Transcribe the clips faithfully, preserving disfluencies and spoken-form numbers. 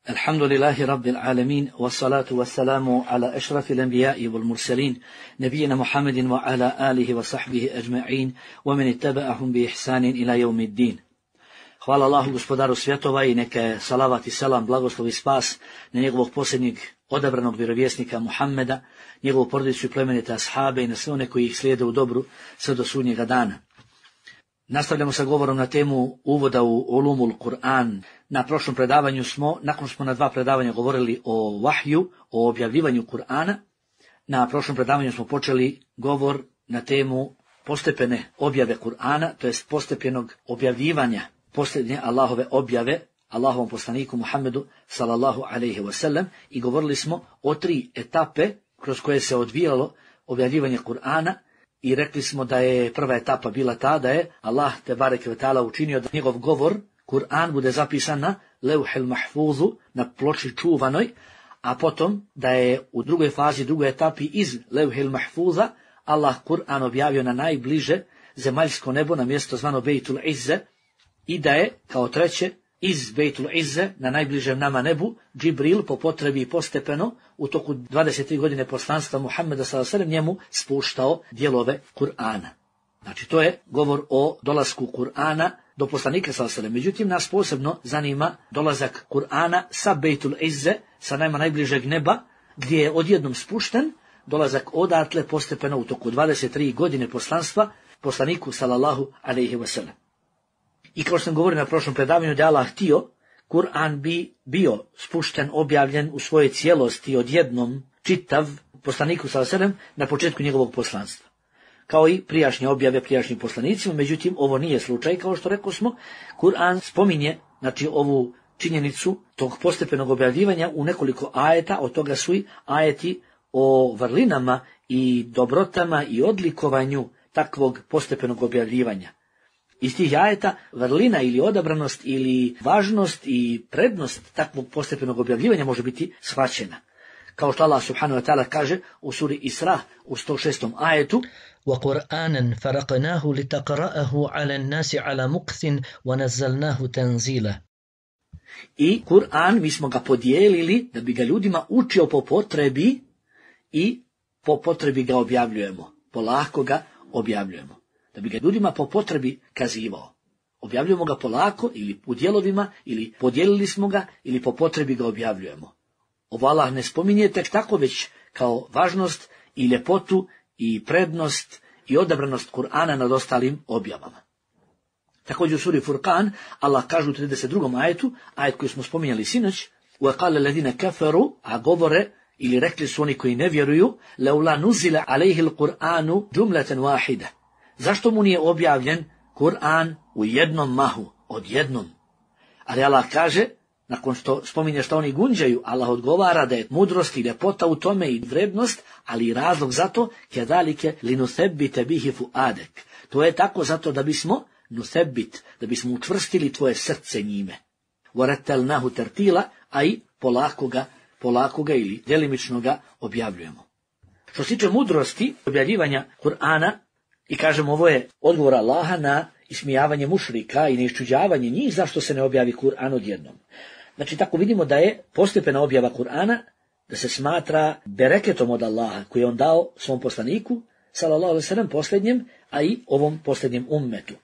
الحمد لله رب العالمين والصلاة والسلام على أشرف الأنبياء والمرسلين نبينا محمد وعلى آله وصحبه أجمعين ومن اتبعهم بإحسان إلى يوم الدين. Hvala Allahu gospodaru svjetova i neka salavat i selam, blagoslov i spas na njegovog posljednjeg odabranog vjerovjesnika Muhammeda, njegovu porodicu i plemenite ashabe i na sve one koji ih slijede u dobru sve do sudnjega dana. Nastavljamo sa govorom na temu uvoda u Ulumul Kur'an. Na prošlom predavanju smo, nakon što smo na dva predavanja govorili o vahju, o objavljivanju Kur'ana, na prošlom predavanju smo počeli govor na temu postepene objave Kur'ana, to jest postepenog objavljivanja posljednje Allahove objave Allahovom poslaniku Muhammedu sallallahu alejhi ve sellem i govorili smo o tri etape kroz koje se odvijalo objavljivanje Kur'ana i rekli smo da je prva etapa bila ta da je Allah te bareke ve taala učinio da njegov govor Kur'an bude zapisan na leuhel mahfuzu, na ploči čuvanoj, a potom da je u drugoj fazi, drugoj etapi iz leuhel mahfuza Allah Kur'an objavio na najbliže zemaljsko nebo, na mjesto zvano Bejtul Izze, i da je, kao treće, iz Bejtul Izze, na najbližem nama nebu, Džibril po potrebi i postepeno, u toku dvadeset tri godine poslanstva Muhammeda sallallahu alejhi ve sellem njemu spuštao dijelove Kur'ana. Znači, to je govor o dolasku Kur'ana do poslanika sallallahu alejhi ve sellem. Međutim, nas posebno zanima dolazak Kur'ana sa Bejtul Izze, sa najma najbližeg neba, gdje je odjednom spušten, dolazak odatle postepeno u toku dvadeset tri godine poslanstva poslaniku sallallahu alejhi ve sellem. I kao što sam govorio na prošlom predavanju da je Allah htio, Kur'an bi bio spušten, objavljen u svojoj cijelosti odjednom čitav poslaniku sallallahu alejhi ve sellem na početku njegovog poslanstva. Kao i prijašnje objave prijašnjim poslanicima, međutim ovo nije slučaj, kao što rekao smo, Kur'an spominje, znači, ovu činjenicu tog postepenog objavljivanja u nekoliko ajeta, od toga su i ajeti o vrlinama i dobrotama i odlikovanju takvog postepenog objavljivanja. Iz tih ajeta vrlina ili odabranost ili važnost i prednost takvog postepenog objavljivanja može biti shvaćena. Kao što Allah subhanahu wa ta'ala kaže u suri Isra u sto šestom ajetu: وَقُرْآنًا فَرَقْنَاهُ لِتَقْرَأَهُ عَلَى النَّاسِ عَلَى مُكْثٍ وَنَزَّلْنَاهُ تَنزِيلًا. I Kur'an mi smo ga podijelili da bi ga ljudima učio po potrebi i po potrebi ga objavljujemo. Polako ga objavljujemo. Da bi ga ljudima po potrebi kazivao. Objavljujemo ga polako ili u dijelovima, ili podijelili smo ga, ili po potrebi ga objavljujemo. Ovo Allah ne spominje tek tako, već kao važnost i ljepotu i prednost i odabranost Kur'ana nad ostalim objavama. Također u suri Furqan Allah kaže u trideset drugom ajetu, ajet koji smo spominjali sinoć: وَقَالَ الَّذِينَ كَفَرُوا, a govore ili rekli su oni koji ne vjeruju: لَوْلَا نُزِلَ عَلَيْهِ الْقُرْآنُ جُمْلَةً وَاحِدَةً. Zašto mu nije objavljen Kur'an u jednom mahu, odjednom? Ali Allah kaže, nakon što spominje što oni gunđaju, Allah odgovara da je mudrost i ljepota u tome i vrednost, ali i razlog za to, kedalike linuthebbite bihi fuadek. To je tako zato da bismo nuthebbit, da bismo učvrstili tvoje srce njime. Warattalnahu tartila, a i polako ga, polako ga ili djelimično ga objavljujemo. Što se tiče mudrosti objavljivanja Kur'ana, i kažem, ovo je odgovor Allaha na ismijavanje mušrika i neiščuđavanje njih zašto se ne objavi Kur'an odjednom. Znači, tako vidimo da je postepena objava Kur'ana, da se smatra bereketom od Allaha koji je on dao svom poslaniku, sallallahu alejhi ve sellem, posljednjem, a i ovom posljednjem ummetu.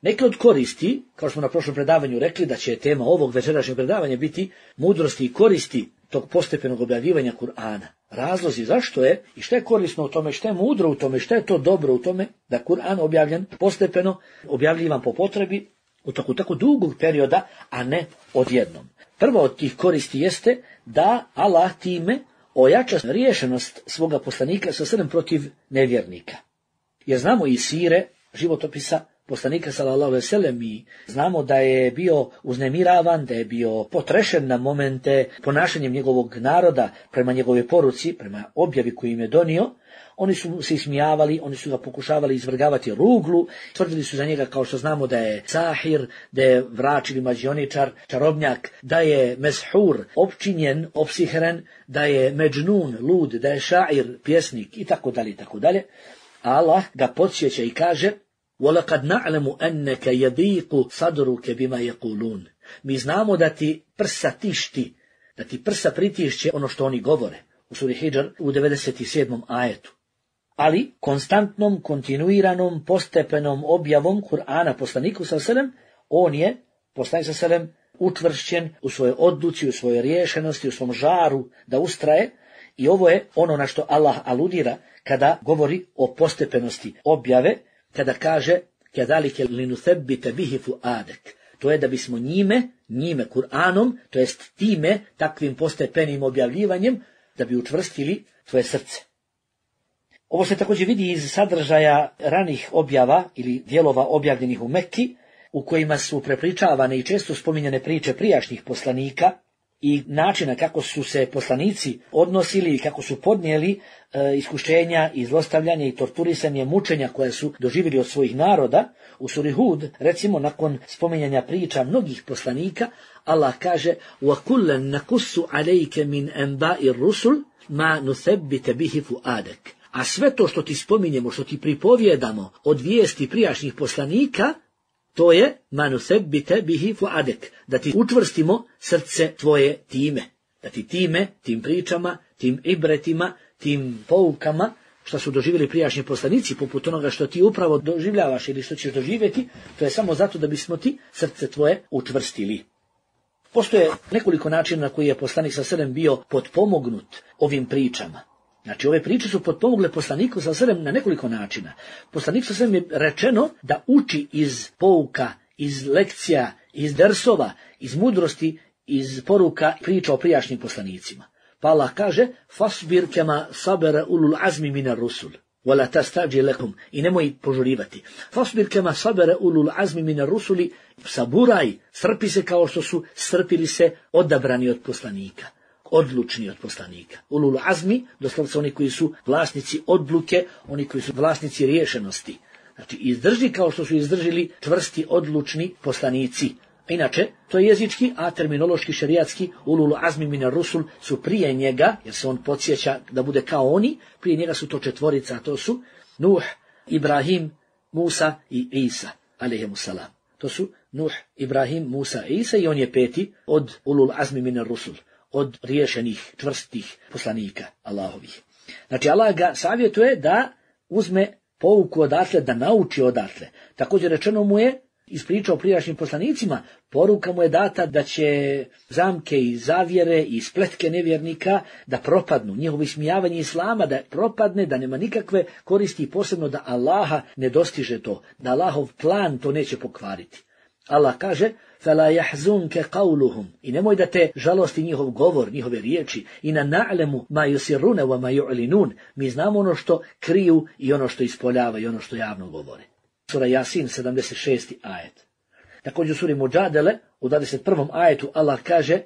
Neke od koristi, kao što smo na prošlom predavanju rekli da će tema ovog večerašnjeg predavanja biti mudrosti i koristi tog postepenog objavljivanja Kur'ana. Razlozi zašto je i što je korisno u tome, što je mudro u tome, što je to dobro u tome da Kur'an objavljen postepeno, objavljivan po potrebi u toku tako dugog perioda, a ne odjednom. Prva od tih koristi jeste da Allah time ojača riješenost svoga poslanika sa srem protiv nevjernika. Jer znamo iz sire, životopisa poslanika sallallahu alejhi ve sellem, i znamo da je bio uznemiravan, da je bio potrešen na momente ponašanjem njegovog naroda prema njegove poruci, prema objavi koju im je donio. Oni su se ismijavali, oni su ga pokušavali izvrgavati ruglu, tvrdili su za njega, kao što znamo, da je sahir, da je vrač ili mađioničar, čarobnjak, da je meshur, opčinjen, opsihren, da je međnun, lud, da je šair, pjesnik i tako dalje i tako dalje. Allah ga podsjeća i kaže: وَلَقَدْ نَعْلَمُ أَنَّكَ يَضِيقُ صَدْرُكَ بِمَا يَقُولُونَ. Mi znamo da ti prsa tišti da ti prsa pritišće ono što oni govore. U suri Hidžr u devedeset sedmom ajetu. Ali konstantnom, kontinuiranom, postepenom objavom Kur'ana poslaniku sallallahu alejhi ve sellem, on je, poslanik sallallahu alejhi ve sellem, učvršćen u svojoj odluci, u svojoj riješenosti, u svom žaru da ustraje, i ovo je ono na što Allah aludira kada govori o postepenosti objave, kada kaže kedalike linuthebbite bihi fuadek. To je da bismo njime, njime Kur'anom, to jest time, takvim postepenim objavljivanjem, da bi učvrstili tvoje srce. Ovo se također vidi iz sadržaja ranih objava ili dijelova objavljenih u Mekki, u kojima su prepričavane i često spominjane priče prijašnjih poslanika i načina kako su se poslanici odnosili i kako su podnijeli e, iskušenja i zlostavljanje i torturisanje, mučenja koje su doživjeli od svojih naroda. U suri Hud, recimo, nakon spominjanja priča mnogih poslanika, Allah kaže وَكُلًّا نَقُصُّ عَلَيْكَ مِنْ أَنْبَاءِ الرُّسُلِ مَا نُثَبِّتَ بِهِ فُؤَادَكَ. A sve to što ti spominjemo, što ti pripovjedamo od vijesti prijašnjih poslanika, to je manusebite bihi fuadek, da ti učvrstimo srce tvoje time, da ti time, tim pričama, tim ibretima, tim poukama, što su doživjeli prijašnji poslanici, poput onoga što ti upravo doživljavaš ili što ćeš doživjeti, to je samo zato da bismo ti srce tvoje učvrstili. Postoje nekoliko načina na koji je poslanik sallallahu alejhi ve sellem bio potpomognut ovim pričama. Znači, ove priče su potpomogle poslaniku sallallahu alejhi ve sellem na nekoliko načina. Poslaniku sallallahu alejhi ve sellem je rečeno da uči iz pouka, iz lekcija, iz dersova, iz mudrosti, iz poruka priča o prijašnjim poslanicima. Pa Allah kaže: "Fasbir kema sabara ulul azmi minar rusul, wala tastajil lakum." I nemoj požurivati. Fasbir kema sabara ulul azmi minar rusuli, saburaj, strpi se kao što su strpili se odabrani od poslanika. Odlučni od poslanika. Ulul azmi, doslovce oni koji su vlasnici odluke, oni koji su vlasnici riješenosti. Znači, izdrži kao što su izdržili čvrsti, odlučni poslanici. Inače, to je jezički, a terminološki, šerijatski, ulul azmi minar rusul su prije njega, jer se on podsjeća da bude kao oni, prije njega su to četvorica, a to su Nuh, Ibrahim, Musa i Isa, alejhimussalam. To su Nuh, Ibrahim, Musa i Isa, i on je peti od ulul azmi minar rusul, od riješenih, čvrstih poslanika Allahovih. Znači, Allah ga savjetuje da uzme pouku odatle, da nauči odatle. Također rečeno mu je, ispričao prijašnjim poslanicima, poruka mu je data da će zamke i zavjere i spletke nevjernika da propadnu, njihovo ismijavanje islama da propadne, da nema nikakve koristi, posebno da Allaha ne dostiže to, da Allahov plan to neće pokvariti. Allah kaže: "Fala yahzunka qawluhum." I nemoj da te žalosti njihov govor, njihove riječi. Ina na'lamu ma yusirruna wa ma yu'linun. Mi znamo ono što kriju i ono što ispoljavaju i ono što javno govore. Sura Jasin, sedamdeset šesti ajet. Također u suri Muđadele, u dvadeset prvom ajetu, Allah kaže: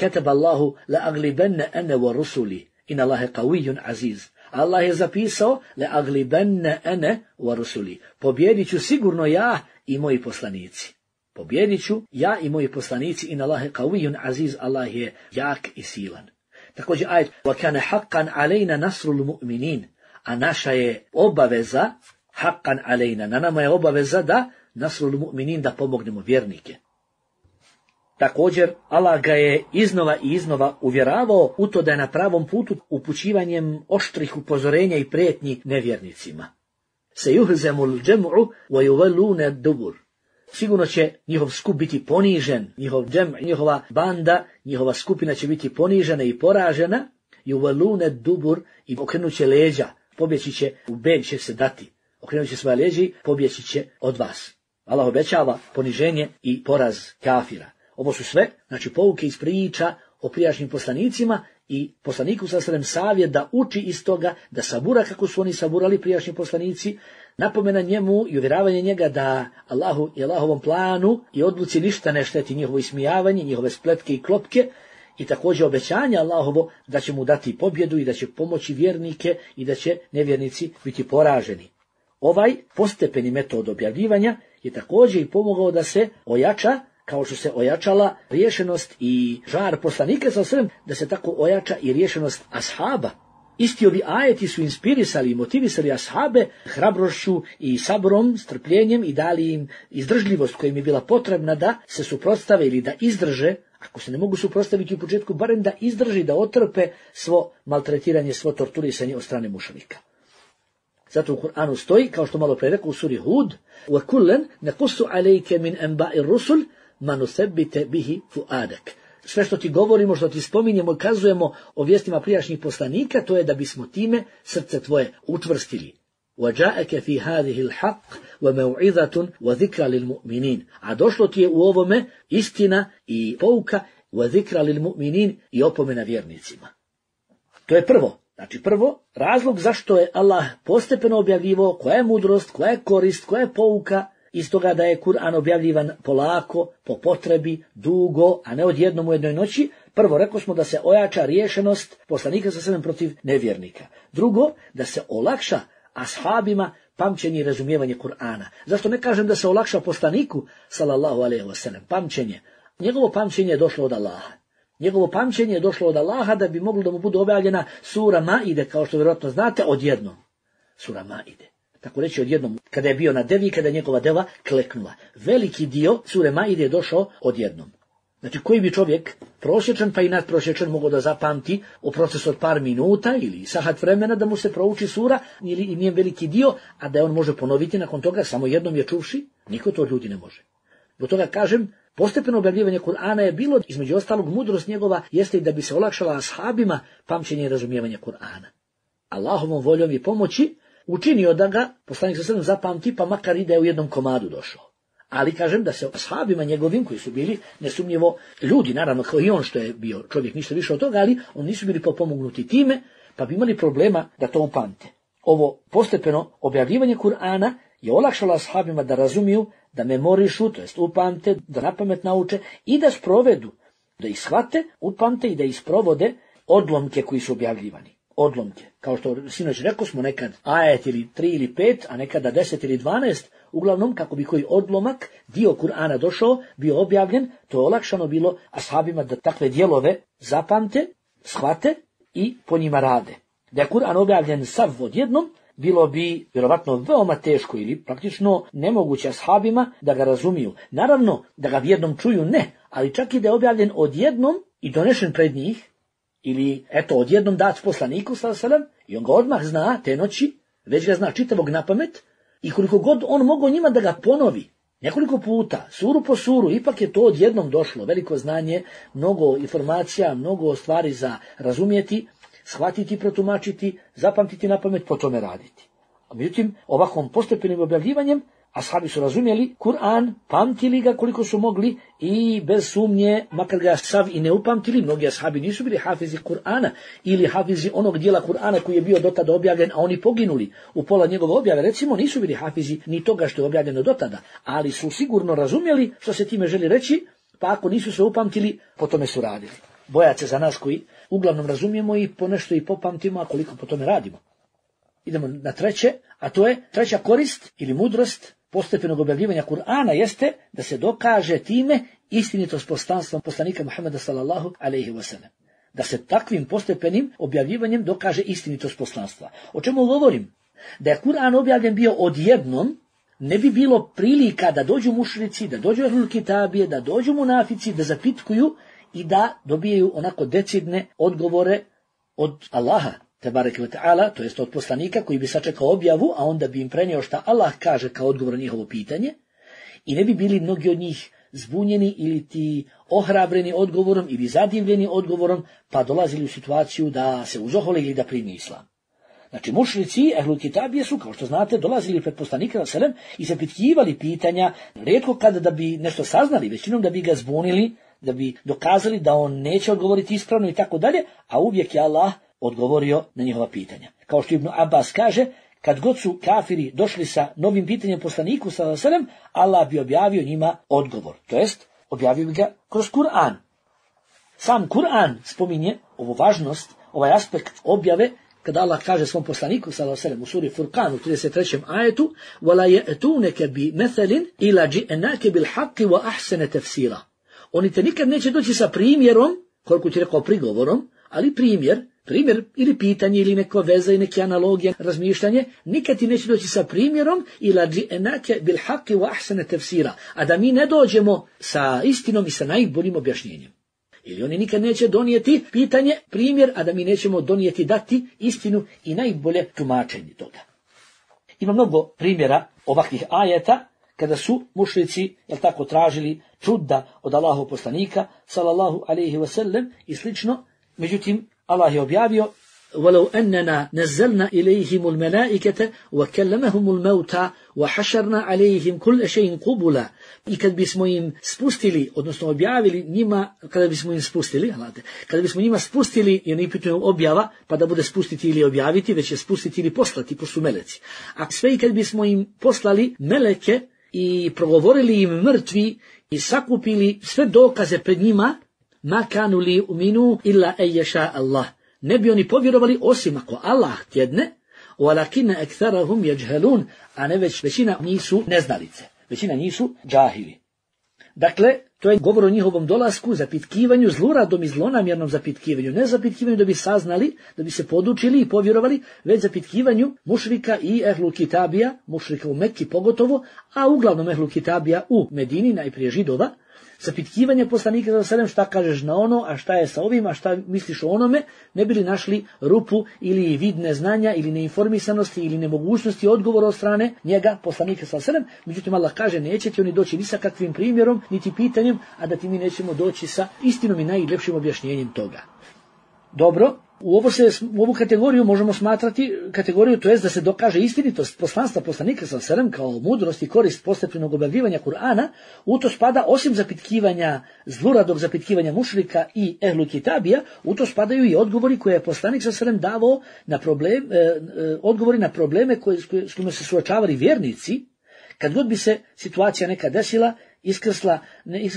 "Kataba Allahu la aglibanna ana wa rusuli. Inna Allaha qawiyyun aziz." Allah je zapisao: "La aglibanna ana wa rusuli." Pobjedit ću sigurno ja i moji poslanici. Pobjedit ću ja i moji poslanici, in Allahe qawiyyun aziz, Allah je jak i silan. Također ajet: "Wa kana haqqan alejna nasrul mu'minin." A naša je obaveza, haqqan alejna, na nama je obaveza da nasrul mu'minin, da pomognemo vjernike. Također Allah ga je iznova i iznova uvjeravao u to da je na pravom putu upućivanjem oštrih upozorenja i prijetnji nevjernicima. Seyuhzamul jam'u wa yuwalluna ad-dubur. Sigurno će njihov skup biti ponižen, njihov džem, njihova banda, njihova skupina će biti ponižena i poražena, yuwalluna ad-dubur, i okrenut će leđa, pobjeći će, u beg će se dati, okrenut će svoje leđa i pobjeći će od vas. Allah obećava poniženje i poraz kafira. Ovo su sve, znači, pouke iz priča o prijašnjim poslanicima i poslaniku sallallahu alejhi ve sellem savjet da uči iz toga, da sabura kako su oni saburali prijašnji poslanici, napomena njemu i uvjeravanje njega da Allahu i Allahovom planu i odluci ništa ne šteti, njihovo ismijavanje, njihove spletke i klopke, i također obećanje Allahovo da će mu dati pobjedu i da će pomoći vjernike i da će nevjernici biti poraženi. Ovaj postepeni metod objavljivanja je također i pomogao da se ojača, kao što se ojačala riješenost i žar poslanika sallallahu alejhi ve sellem, da se tako ojača i riješenost ashaba. Isti ovi ajeti su inspirisali i motivisali ashabe hrabrošću i sabrom, strpljenjem, i dali im izdržljivost koja im je bila potrebna da se suprotstave ili da izdrže Ako se ne mogu suprotstaviti u početku, barem da izdrži, da otrpe svo maltretiranje, svo torturisanje od strane mušrika. Zato u Kur'anu stoji, kao što malo pre rekao u suri Hud, وَكُلًا نَقُصُّ عَلَيْكَ مِنْ أَنْبَاءِ الرُّسُلِ مَا نُثَبِّتَ بِهِ فُؤَادَكَ. Sve što ti govorimo, što ti spominjemo i kazujemo o vijestima prijašnjih poslanika, to je da bismo time srce tvoje učvrstili. وَجَاءَكَ فِي هَذِهِ الْحَقِّ وَمَوْعِظَةٌ وَذِكْرَ لِلْمُؤْمِنِينَ. A došlo ti je u ovome istina i pouka, وَذِكْرَ لِلْمُؤْمِنِينَ, i opomena vjernicima. To je prvo. Znači prvo, razlog zašto je Allah postepeno objavljivao koja je mudrost, koja je korist, koja je pouka, iz toga da je Kur'an objavljivan polako, po potrebi, dugo, a ne odjednom u jednoj noći. Prvo, rekao smo da se ojača riješenost poslanika sa sebem protiv nevjernika. Drugo, da se olakša ashabima pamćenje i razumijevanje Kur'ana. Zašto ne kažem da se olakša poslaniku, sallallahu alejhi ve sellem, pamćenje? Njegovo pamćenje je došlo od Allaha. Njegovo pamćenje je došlo od Allaha da bi moglo da mu bude objavljena sura Maide, kao što vjerojatno znate, odjednom. Sura Maide. Tako reći odjednom, kada je bio na devi, kada je njegova deva kleknula. Veliki dio sure Maide je došao odjednom. Znači, koji bi čovjek, prosječan pa i nadprosječan, mogao da zapamti u procesu od par minuta ili sahat vremena da mu se prouči sura ili i njen veliki dio, a da on može ponoviti nakon toga samo jednom je čuvši? Niko to od ljudi ne može. Zbog toga kažem, postepeno objavljivanje Kur'ana je bilo, između ostalog, mudrost njegova jeste i da bi se olakšala ashabima pamćenje i razumijevanje Kur'ana. Allahovom voljom i pomoći učinio da ga poslanik sa sebem zapamti, pa makar i da je u jednom komadu došao. Ali kažem da se ashabima njegovim, koji su bili nesumnjivo ljudi, naravno kao i on što je bio čovjek, ništa više od toga, ali oni nisu bili potpomognuti time, pa bi imali problema da to upamte. Ovo postepeno objavljivanje Kur'ana je olakšalo ashabima da razumiju, da memorišu, to jest upamte, da napamet nauče i da sprovedu, da ih shvate, upamte i da ih sprovode odlomke koji su objavljivani. Odlomke. Kao što sinoć rekao smo, nekad ajet ili tri ili pet, a nekada deset ili dvanaest, uglavnom kako bi koji odlomak, dio Kur'ana došao, bio objavljen, to je olakšano bilo ashabima da takve dijelove zapamte, shvate i po njima rade. Da je Kur'an objavljen sav odjednom, bilo bi vjerovatno veoma teško ili praktično nemoguće ashabima da ga razumiju. Naravno, da ga jednom čuju ne, ali čak i da je objavljen odjednom i donešen pred njih, ili eto odjednom dat poslaniku sallallahu alejhi ve sellem, i on ga odmah zna te noći, već ga zna čitavog napamet, i koliko god on mogao njima da ga ponovi nekoliko puta, suru po suru, ipak je to odjednom došlo, veliko znanje, mnogo informacija, mnogo stvari za razumjeti, shvatiti, protumačiti, zapamtiti napamet, po tome raditi. A međutim, ovakvom postepenim objavljivanjem ashabi su razumjeli Kur'an, pamtili ga koliko su mogli i bez sumnje, makar ga sav i ne upamtili, mnogi ashabi nisu bili hafizi Kur'ana ili hafizi onog dijela Kur'ana koji je bio dotada objavljen, a oni poginuli u pola njegove objave, recimo nisu bili hafizi ni toga što je objavljeno dotada, ali su sigurno razumjeli što se time želi reći, pa ako nisu se upamtili, po tome su radili. Bojat se za nas koji uglavnom razumijemo i ponešto i popamtimo, a koliko po tome radimo. Idemo na treće, a to je treća korist ili mudrost postepenog objavljivanja Kur'ana jeste da se dokaže time istinitost poslanstva poslanika Muhameda sallallahu alejhi ve sellem. Da se takvim postepenim objavljivanjem dokaže istinitost poslanstva. O čemu govorim? Da je Kur'an objavljen bio odjednom, ne bi bilo prilika da dođu mušrici, da dođu ahlul kitabije, da dođu munafici, da zapitkuju i da dobijaju onako decidne odgovore od Allaha, tebareke ve ta'ala, to jest od poslanika koji bi sačekao objavu, a onda bi im prenio šta Allah kaže kao odgovor na njihovo pitanje, i ne bi bili mnogi od njih zbunjeni ili ti ohrabreni odgovorom ili zadivljeni odgovorom, pa dolazili u situaciju da se uzohole ili da primi islam. Znači, mušrici, ehlul kitabije su, kao što znate, dolazili pred poslanika sallallahu alejhi ve sellem i zapitkivali pitanja, rijetko kada da bi nešto saznali, većinom da bi ga zbunili, da bi dokazali da on neće odgovoriti ispravno i tako dalje, a uvijek je Allah odgovorio na njihova pitanja. Kao što Ibn Abbas kaže, kad god su kafiri došli sa novim pitanjem poslaniku sallallahu alejhi ve sellem, Allah bi objavio njima odgovor, to jest objavio bi ga kroz Kur'an. Sam Kur'an spominje ovu važnost, ovaj aspekt objave, kada Allah kaže svom poslaniku sallallahu alejhi ve sellem u suri Furqan u trideset trećem ajetu: "Wala ya'tunaka bi mathalin ila ji'naka bil haqqi wa ahsana tafsira." Oni te nikad neće doći sa primjerom, koliko ti rekao prigovorom, ali primjer, primjer ili pitanje ili neka veza i neke analogije, razmišljanje, nikad ti neće doći sa primjerom ila ji'naka bil haqqi wa ahsana tafsira, a da mi ne dođemo sa istinom i sa najboljim objašnjenjem. Ili oni nikad neće donijeti pitanje, primjer, a da mi nećemo donijeti dati istinu i najbolje tumačenje toga. Ima mnogo primjera ovakvih ajeta kada su mušrici, jel tako, tražili čuda od Allahov poslanika, sallallahu alejhi ve sellem i slično. Međutim, Allah je objavio: وَلَوْ أَنَّنَا نَزَّلْنَا إِلَيْهِمُ الْمَلَائِكَةَ وَكَلَّمَهُمُ الْمَوْتَى وَحَشَرْنَا عَلَيْهِمْ كُلَّ شَيْءٍ قُبُلًا. I kad bismo im spustili, odnosno objavili njima, kada bismo im spustili, kada bismo njima spustili, jer ne pitaju objava, pa da bude spustiti ili objaviti, već je spustiti ili poslati, pošto su meleci. A sve i kad bismo im poslali meleke i progovorili im mrtvi i sakupili sve dokaze pred njima, ma kanu li uminu illa en yasha Allah. Ne bi oni povjerovali osim ako Allah htjedne, walakinna aktharahum yajhalun, a ne već većina nisu neznalice, većina nisu džahili. Dakle, to je govor o njihovom dolasku, zapitkivanju, zluradom i zlonamjernom zapitkivanju, ne zapitkivanju da bi saznali, da bi se podučili i povjerovali, već zapitkivanju mušrika i ehlu kitabija, mušrika u Mekki pogotovo, a uglavnom ehlu kitabija u Medini, najprije Židova, zapitkivanje poslanika sallallahu alejhi ve sellem, šta kažeš na ono, a šta je sa ovim, a šta misliš o onome, ne bili našli rupu ili vid neznanja ili neinformisanosti ili nemogućnosti odgovora od strane njega, poslanika sallallahu alejhi ve sellem. Međutim, Allah kaže, nećete oni doći ni sa kakvim primjerom, niti pitanjem, a da ti mi nećemo doći sa istinom i najljepšim objašnjenjem toga. Dobro, u, ovo se, u ovu kategoriju možemo smatrati kategoriju, to jest da se dokaže istinitost poslanstva poslanika sallallahu alejhi ve sellem kao mudrost i korist postepenog objavljivanja Kur'ana. U to spada, osim zapitkivanja, zluradog zapitkivanja mušrika i ehlu kitabija, u to spadaju i odgovori koje je poslanik sallallahu alejhi ve sellem davao na problem, eh, eh, odgovori na probleme koje, s kojima se suočavali vjernici. Kad god bi se situacija neka desila, iskrsla, ne,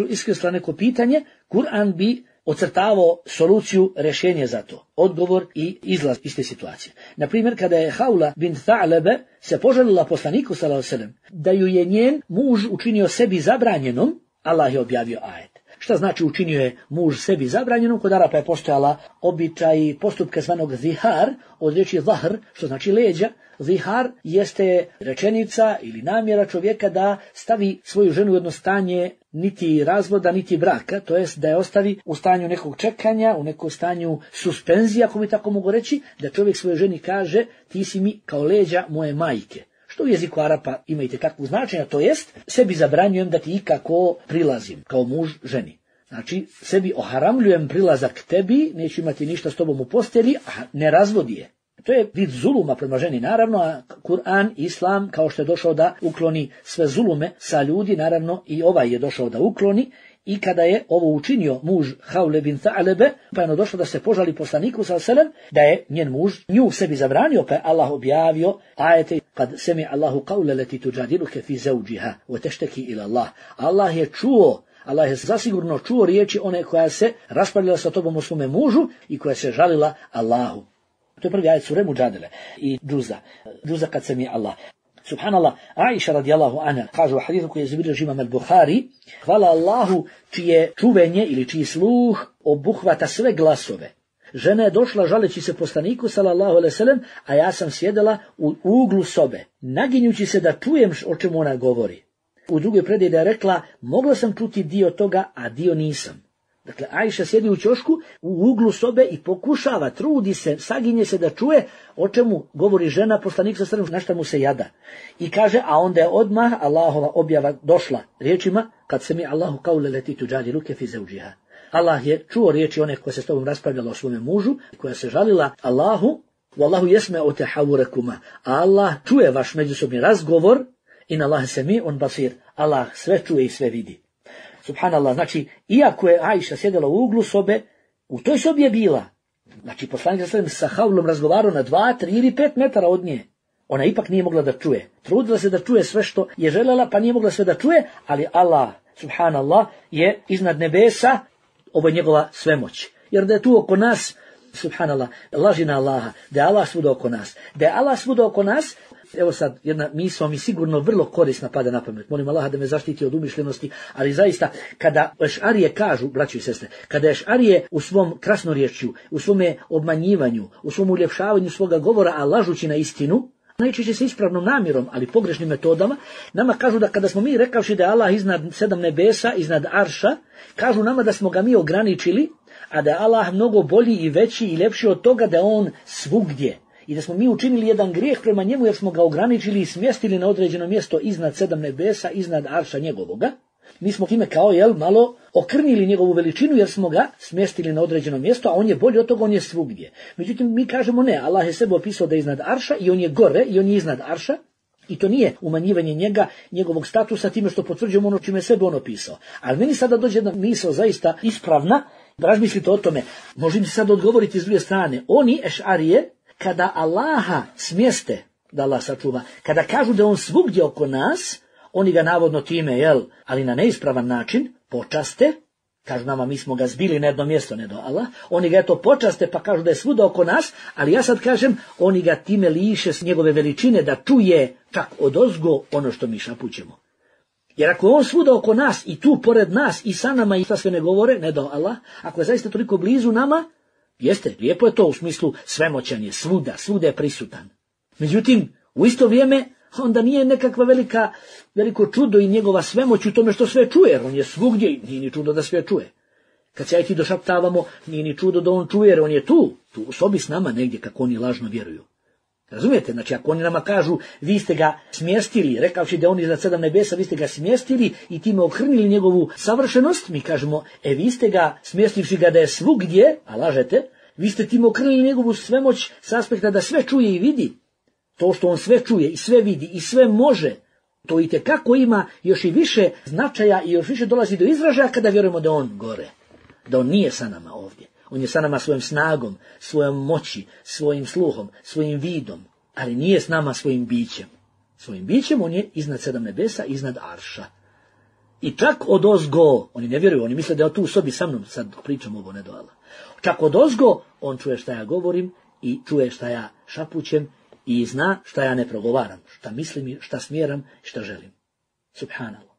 iskrsla neko pitanje, Kur'an bi ocrtavao soluciju, rješenje za to, odgovor i izlaz iz te situacije. Na primjer, kada je Haula bint Tha'lebe se požalila poslaniku sallallahu alejhi ve sellem da ju je njen muž učinio sebi zabranjenom, Allah je objavio ajet. Šta znači učinio je muž sebi zabranjenom? Kod Arapa je postojala običaj postupka zvanog zihar, od riječi zahr, što znači leđa. Zihar jeste rečenica ili namjera čovjeka da stavi svoju ženu u jedno stanje niti razvoda, niti braka, to jest da je ostavi u stanju nekog čekanja, u nekom stanju suspenzija, ako mi tako mogu reći, da čovjek svojoj ženi kaže: ti si mi kao leđa moje majke. Što u jeziku Arapa ima itekakvo značenje, to jest sebi zabranjujem da ti ikako prilazim kao muž ženi. Znači, sebi oharamljujem prilazak tebi, neću imati ništa s tobom u postelji, a ne razvodi je. To je vid zuluma prema ženi, naravno, a Kur'an, Islam, kao što je došao da ukloni sve zulume sa ljudi, naravno i ovaj je došao da ukloni. I kada je ovo učinio muž Haule bin Tha'lebe, pa je ono došlo da se požali poslaniku sallallahu alejhi ve sellem da je njen muž nju sebi zabranio, pa je Allah objavio ajete: kad semi Allahu qawla lati tujadiluka fi zawjiha wa tashtaki ila Allah. Allah je čuo, Allah je zasigurno čuo riječi one koja se raspravljala sa tobom o svome mužu i koja se žalila Allahu. To je prvi ajet sure Mujadele i Džuza. Džuza kad semi Allah. Subhanallah, Aisha radijallahu anha kaže u hadithu koji je zabilježio imam al-Buhari: hvala Allahu čije čuvenje ili čiji sluh obuhvata sve glasove. Žena je došla žaleći se poslaniku sallallahu alejhi ve sellem, a ja sam sjedela u uglu sobe, naginjući se da čujem o čemu ona govori. U drugoj predaji da je rekla: mogla sam čuti dio toga, a dio nisam. Dakle, Aisha sjedi u ćošku u uglu sobe i pokušava, trudi se, saginje se da čuje o čemu govori žena poslanik sa srem, na šta mu se jada. I kaže, a onda je odmah Allahova objava došla riječima: kad se mi Allahu qawla lati tujadiluka fi zawjiha. Allah je čuo riječi one koje se s tobom raspravljala o svome mužu, koja se žalila Allahu: wallahu yasma'u tahawurakuma. Allah čuje vaš međusobni razgovor, in Allah sami'un basir. Allah sve čuje i sve vidi. Subhanallah, znači, iako je Aisha sjedela u uglu sobe, u toj sobi je bila. Znači, poslanik sallallahu alejhi ve sellem sa Haulom razgovarao na dva, tri ili pet metara od nje. Ona ipak nije mogla da čuje. Trudila se da čuje sve što je željela, pa nije mogla sve da čuje, ali Allah, subhanallah, je iznad nebesa, ovo je njegova svemoć. Jer da je tu oko nas, subhanallah, laži na Allaha, da je Allah svuda oko nas. Da je Allah svuda oko nas, evo sad, jedna misao mi sigurno vrlo korisna pada na pamet. Molim Allaha da me zaštiti od umišljenosti, ali zaista, kada Ešarije kažu, braćo i sestre, kada Ešarije u svom krasnorječju, u svome obmanjivanju, u svom uljepšavanju svoga govora, a lažući na istinu, najčešće sa ispravnom namjerom, ali pogrešnim metodama, nama kažu da kada smo mi rekavši da je Allah iznad sedam nebesa, iznad arša, kažu nama da smo ga mi ograničili, a da je Allah mnogo bolji i veći i ljepši od toga da je on svugdje. I da smo mi učinili jedan grijeh prema njemu jer smo ga ograničili i smjestili na određeno mjesto iznad sedam nebesa, iznad arša njegovoga. Mi smo time kao jel malo okrnili njegovu veličinu jer smo ga smjestili na određeno mjesto, a on je bolji od toga, on je svugdje. Međutim, mi kažemo ne, Allah je sebe opisao da je iznad arša i on je gore i on je iznad arša. I to nije umanjivanje njega, njegovog statusa time što potvrđujemo ono čime je sebe on opisao. Ali meni sada dođe jedna misao zaista ispravna, razmislite o tome, možete sad odgovoriti s druge strane. Oni, ešarije, kada Allaha smjeste, da Allah sačuva, kada kažu da on svugdje oko nas, oni ga navodno time, jel, ali na neispravan način, počaste, kažu nama mi smo ga zbili na jedno mjesto, ne do Allah, oni ga eto počaste pa kažu da je svuda oko nas, ali ja sad kažem, oni ga time liše s njegove veličine da čuje čak odozgo ono što mi šapućemo. Jer ako je on svuda oko nas i tu pored nas i sa nama i šta sve ne govore, ne do Allah, ako je zaista toliko blizu nama, jeste, lijepo je to u smislu svemoćan je svuda, svuda je prisutan. Međutim, u isto vrijeme, onda nije nekakva velika, veliko čudo i njegova svemoć u tome što sve čuje, jer on je svugdje i nije ni čudo da sve čuje. Kad se ja i ti došaptavamo, nije ni čudo da on čuje, jer on je tu, tu u sobi s nama negdje kako oni lažno vjeruju. Razumijete? Znači, ako oni nama kažu, vi ste ga smjestili, rekavši da on iznad sedam nebesa, vi ste ga smjestili i time okrnili njegovu savršenost, mi kažemo, e vi ste ga, smjestivši ga da je svugdje, a lažete, vi ste time okrnili njegovu svemoć s aspekta da sve čuje i vidi. To što on sve čuje i sve vidi i sve može, to itekako ima još i više značaja i još više dolazi do izražaja kada vjerujemo da on gore, da on nije sa nama ovdje. On je sa nama svojom snagom, svojom moći, svojim sluhom, svojim vidom, ali nije s nama svojim bićem. Svojim bićem on je iznad sedam nebesa, iznad arša. I čak odozgo, oni ne vjeruju, oni misle da je tu u sobi sa mnom, sad pričam ovo ne do Allah. Čak odozgo on čuje šta ja govorim i čuje šta ja šapućem i zna šta ja ne progovaram, šta mislim, šta smjeram i šta želim. Subhanallah.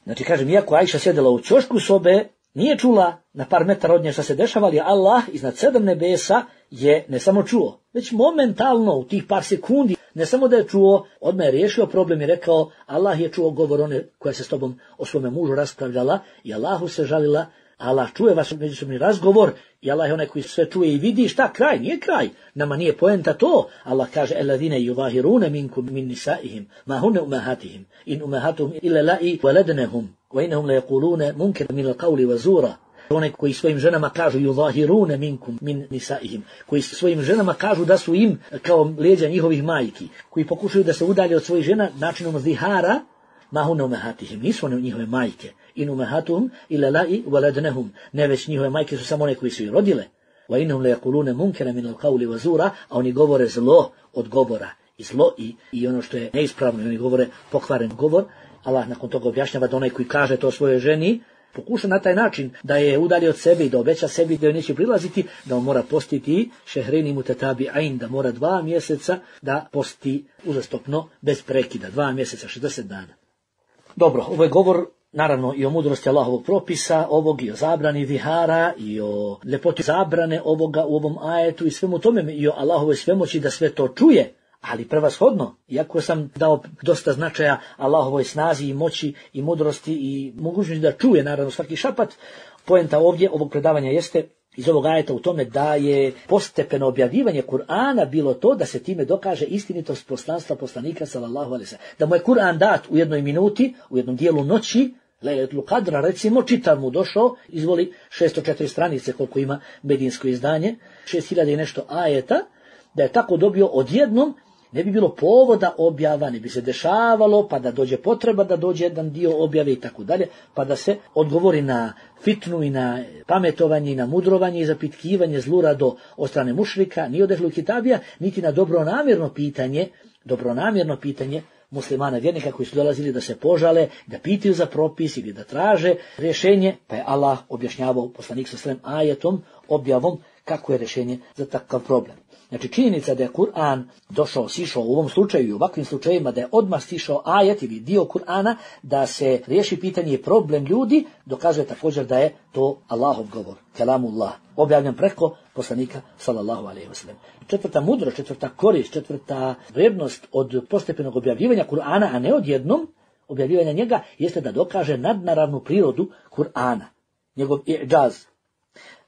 Znači kažem, iako Ajša sjedila u ćošku sobe, nije čula na par metara od nje šta se dešava, ali Allah iznad sedam nebesa je ne samo čuo, već momentalno u tih par sekundi, ne samo da je čuo, odmah je riješio problem i rekao, Allah je čuo govor one koja se s tobom o svome mužu raspravljala i Allahu se žalila, Allah čuje vaš međusobni razgovor i Allah je onaj koji sve čuje i vidi. Šta kraj? Nije kraj. Nama nije poenta to. Allah kaže, eladine yuvahirune minkum min nisaihim, ma hunne umahatihim, in umahatuhum illa la'i waladnahum, wa innahum la yaquluna munkar min al-qawli wa zura. One koji svojim ženama kažu yuvahirune minkum min nisaihim, koji svojim ženama kažu da su im kao leđa njihovih majki, koji pokušaju da se udalje od svojih žena načinom zihara, ma hunne umahatihim, nisu one njihove majke. In umahatuhum illa la'i waladnahum, ne već njihove majke su samo one koji su ih rodile. Wa innahum la yaquluna munkara min al-qawli wa zura, a oni govore zlo od govora i zlo i, i ono što je neispravno, oni govore pokvaren govor. Allah nakon toga objašnjava da onaj koji kaže to svojoj ženi, pokuša na taj način da je udalji od sebe i da obeća sebi da joj neće prilaziti, da on mora postiti šehreni mutatabi'ain, da mora dva mjeseca da posti uzastopno bez prekida, dva mjeseca, šezdeset dana. Dobro, ovo je govor naravno i o mudrosti Allahovog propisa, ovog i o zabrani vihara, i o ljepoti zabrane ovoga u ovom ajetu i svemu tome, i o Allahovoj svemoći da sve to čuje, ali prevashodno, iako sam dao dosta značaja Allahovoj snazi i moći i mudrosti i mogućnosti da čuje naravno svaki šapat, poenta ovdje ovog predavanja jeste iz ovog ajeta u tome da je postepeno objavljivanje Kur'ana bilo to da se time dokaže istinitost poslanstva poslanika sallallahu alejhi ve sellem. Da mu je Kur'an dat u jednoj minuti, u jednom dijelu noći, Lejletul Kadra, recimo, čitam mu došao, izvoli šesto četiri stranice koliko ima medinsko izdanje, šest hiljada i nešto ajeta, da je tako dobio odjednom, ne bi bilo povoda objava, ne bi se dešavalo, pa da dođe potreba da dođe jedan dio objave i tako dalje, pa da se odgovori na fitnu i na pametovanje i na mudrovanje i zapitkivanje zlurado od strane mušrika, ni od ehlu kitabija, niti na dobronamjerno pitanje, dobronamjerno pitanje muslimana vjernika koji su dolazili da se požale, da pitaju za propis ili da traže rješenje, pa je Allah objašnjavao poslanik sa svem ajetom objavom, kako je rješenje za takav problem. Znači činjenica da je Kur'an došao, sišao u ovom slučaju i u ovakvim slučajima, da je odmah sišao ajet ili dio Kur'ana, da se riješi pitanje i problem ljudi, dokazuje također da je to Allahov govor, kelamullah, objavljen preko poslanika sallallahu alejhi ve sellem. Četvrta mudrost, četvrta korist, četvrta vrijednost od postepenog objavljivanja Kur'ana, a ne odjednom objavljivanja njega, jeste da dokaže nadnaravnu prirodu Kur'ana, njegov i'džaz.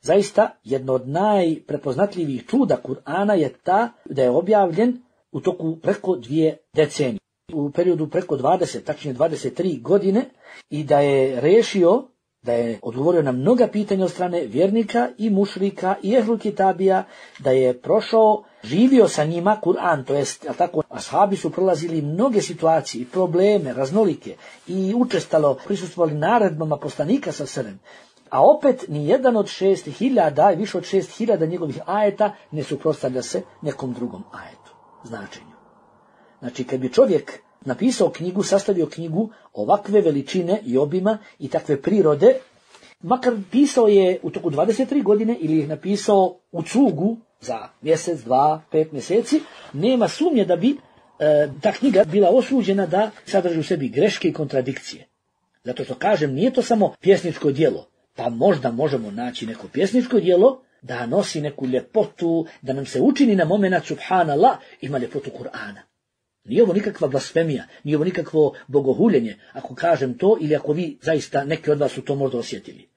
Zaista, jedno od najprepoznatljivijih čuda Kur'ana je ta da je objavljen u toku preko dvije decenije, u periodu preko dvadeset, tačnije dvadeset tri godine, i da je rešio, da je odgovorio na mnoga pitanja od strane vjernika i mušrika i ehlul kitabija, da je prošao, živio sa njima Kur'an, to jest, tako, ashabi su prolazili mnoge situacije i probleme, raznolike, i učestalo prisustvovali naredbama poslanika sa srem. A opet ni jedan od šest hiljada i više od šest hiljada njegovih ajeta ne suprotstavlja se nekom drugom ajetu, značenju. Znači, kad bi čovjek napisao knjigu, sastavio knjigu ovakve veličine i obima i takve prirode, makar pisao je u toku dvadeset tri godine ili je napisao u cugu za mjesec, dva, pet mjeseci, nema sumnje da bi e, ta knjiga bila osuđena da sadrži u sebi greške i kontradikcije. Zato što kažem, nije to samo pjesničko djelo. Pa možda možemo naći neko pjesničko djelo da nosi neku ljepotu, da nam se učini na momenat subhanallah, ima ljepotu Kur'ana. Nije ovo nikakva blasfemija, nije ovo nikakvo bogohuljenje, ako kažem to ili ako vi zaista neki od vas su to možda osjetili.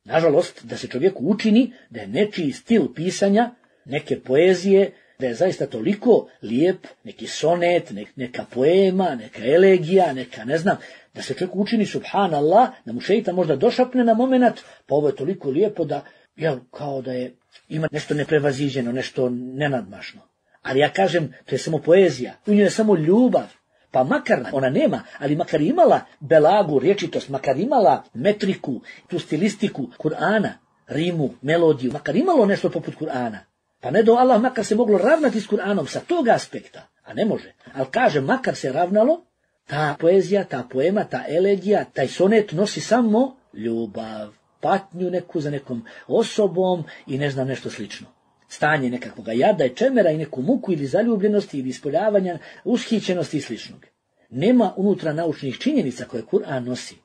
Nažalost, da se čovjeku učini da je nečiji stil pisanja, neke poezije, da je zaista toliko lijep, neki sonet, neka poema, neka elegija, neka ne znam, da se čovjeku učini subhanallah, da mu šeitan možda došapne na moment, pa ovo je toliko lijepo da, jel, kao da je, ima nešto neprevaziđeno, nešto nenadmašno. Ali ja kažem, to je samo poezija, u njoj je samo ljubav, pa makar ona nema, ali makar imala belagu, rječitost, makar imala metriku, tu stilistiku Kur'ana, rimu, melodiju, makar imalo nešto poput Kur'ana, pa ne do Allah makar se moglo ravnati s Kur'anom sa tog aspekta, a ne može, ali kaže makar se ravnalo, ta poezija, ta poema, ta elegija, taj sonet nosi samo ljubav, patnju neku za nekom osobom i ne znam nešto slično. Stanje nekakvog jada i čemera i neku muku ili zaljubljenosti ili ispoljavanja, ushićenosti i sličnog. Nema unutra naučnih činjenica koje Kur'an nosi.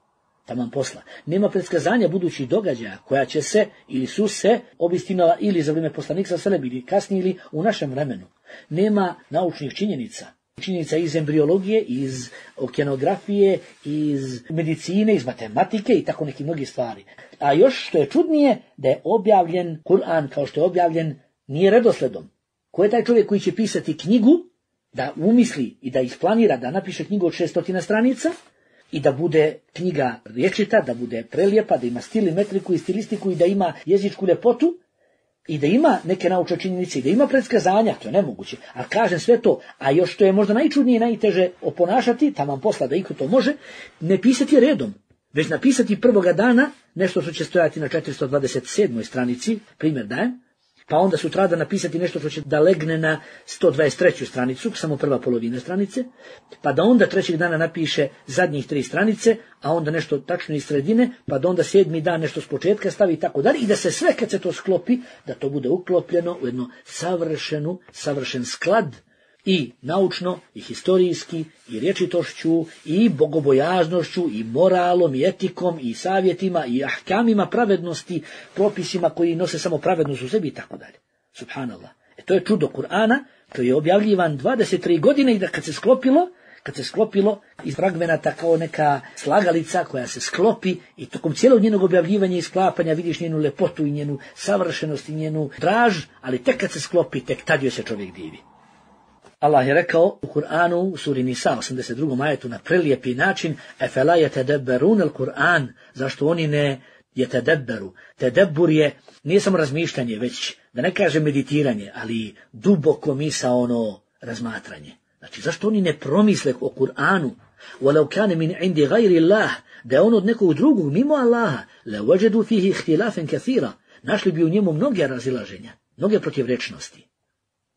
Taman posla. Nema predskazanja budućih događaja koja će se ili su se obistinila ili za vrijeme poslanika sallallahu ili kasnije ili u našem vremenu. Nema naučnih činjenica. Činjenica iz embriologije, iz okeanografije, iz medicine, iz matematike i tako neki mnogi stvari. A još što je čudnije, da je objavljen Kur'an kao što je objavljen nije redosledom. Ko je taj čovjek koji će pisati knjigu, da umisli i da isplanira da napiše knjigu od šestotina stranica i da bude knjiga rječita, da bude prelijepa, da ima stil i metriku i stilistiku i da ima jezičku ljepotu i da ima neke naučne činjenice i da ima predskazanja, to je nemoguće. Ali kažem sve to, a još što je možda najčudnije i najteže oponašati, taman posla da iko to može, ne pisati redom, već napisati prvoga dana nešto što će stojati na četiristo dvadeset sedmoj stranici, primjer dajem, pa onda sutradan napisati nešto što će da legne na sto dvadeset treću stranicu, samo prva polovina stranice, pa da onda trećeg dana napiše zadnjih tri stranice, a onda nešto tačno iz sredine, pa da onda sedmi dan nešto s početka stavi i tako dalje, i da se sve kad se to sklopi, da to bude uklopljeno u jednu savršenu, savršen sklad i naučno, i historijski, i rječitošću, i bogobojaznošću, i moralom, i etikom, i savjetima, i ahkamima pravednosti, propisima koji nose samo pravednost u sebi i tako dalje. Subhanallah. E to je čudo Kur'ana, koji je objavljivan dvadeset tri godine i da kad se sklopilo, kad se sklopilo iz fragmenata kao neka slagalica koja se sklopi i tokom cijelog njenog objavljivanja i sklapanja vidiš njenu lepotu i njenu savršenost i njenu draž, ali tek kad se sklopi, tek tad joj se čovjek divi. Allah je rekao u Kur'anu, u suri Nisa, osamdeset drugom ajetu, na prelijepi način, efela yetedebberun al-Kur'an, zašto oni ne yetedebberu. Tedebbur je, nije samo razmišljanje, već, da ne kaže meditiranje, ali duboko misaono razmatranje. Znači, zašto oni ne promisle o Kur'anu, walau kana min indi gajri Allah, da je on od nekog drugog, mimo Allaha, la wajadu fihi ihtilafen kathira, našli bi u njemu mnoge razilaženja, mnoge protivrečnosti.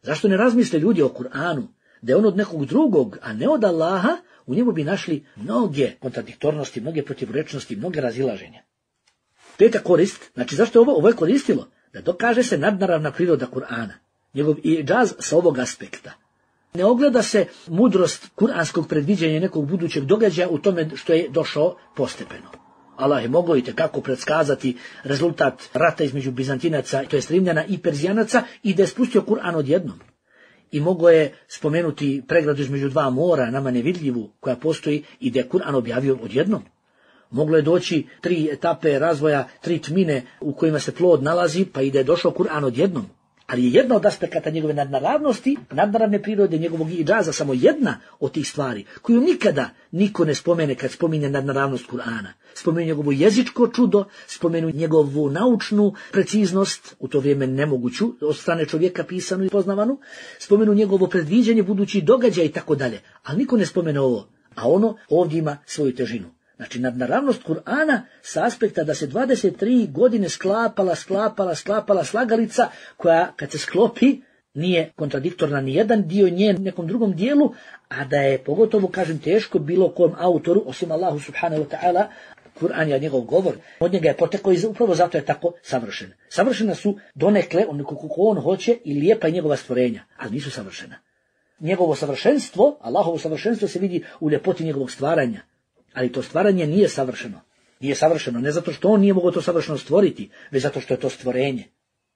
Zašto ne razmisle ljudi o Kur'anu, da je on od nekog drugog, a ne od Allaha, u njemu bi našli mnoge kontradiktornosti, mnoge protivrečnosti, mnoge razilaženja. Peta korist, znači zašto je ovo, ovo je koristilo? da dokaže se nadnaravna priroda Kur'ana, njegov idžaz sa ovog aspekta. Ne ogleda se mudrost kuranskog predviđanja nekog budućeg događaja u tome što je došao postepeno. Allah je mogao i tekako predskazati rezultat rata između Bizantinaca, to jest Rimljana i Perzijanaca, i da je spustio Kur'an odjednom. I mogao je spomenuti pregradu između dva mora, nama nevidljivu, koja postoji, i da je Kur'an objavio odjednom. Moglo je doći tri etape razvoja, tri tmine u kojima se plod nalazi, pa i da je došao Kur'an odjednom. Ali je jedna od aspekata njegove nadnaravnosti, nadnaravne prirode, njegovog idžaza, samo jedna od tih stvari, koju nikada niko ne spomene kad spominje nadnaravnost Kur'ana. Spomenu njegovo jezičko čudo, spomenu njegovu naučnu preciznost, u to vrijeme nemoguću, od strane čovjeka pisanu i poznavanu, spomenu njegovo predviđanje budućih događaja i tako dalje. Ali niko ne spomene ovo, a ono ovdje ima svoju težinu. Znači, nadnaravnost Kur'ana sa aspekta da se dvadeset tri godine sklapala, sklapala, sklapala slagalica koja, kad se sklopi, nije kontradiktorna ni jedan dio nje nekom drugom dijelu, a da je, pogotovo, kažem, teško bilo kom autoru, osim Allahu subhanahu wa ta'ala, Kur'an je njegov govor, od njega je potekao i upravo zato je tako savršen. Savršena su donekle, onako kako on hoće, i lijepa je njegova stvorenja, ali nisu savršena. Njegovo savršenstvo, Allahovo savršenstvo se vidi u ljepoti njegovog stvaranja. Ali to stvaranje nije savršeno. Nije savršeno ne zato što on nije mogao to savršeno stvoriti, već zato što je to stvorenje.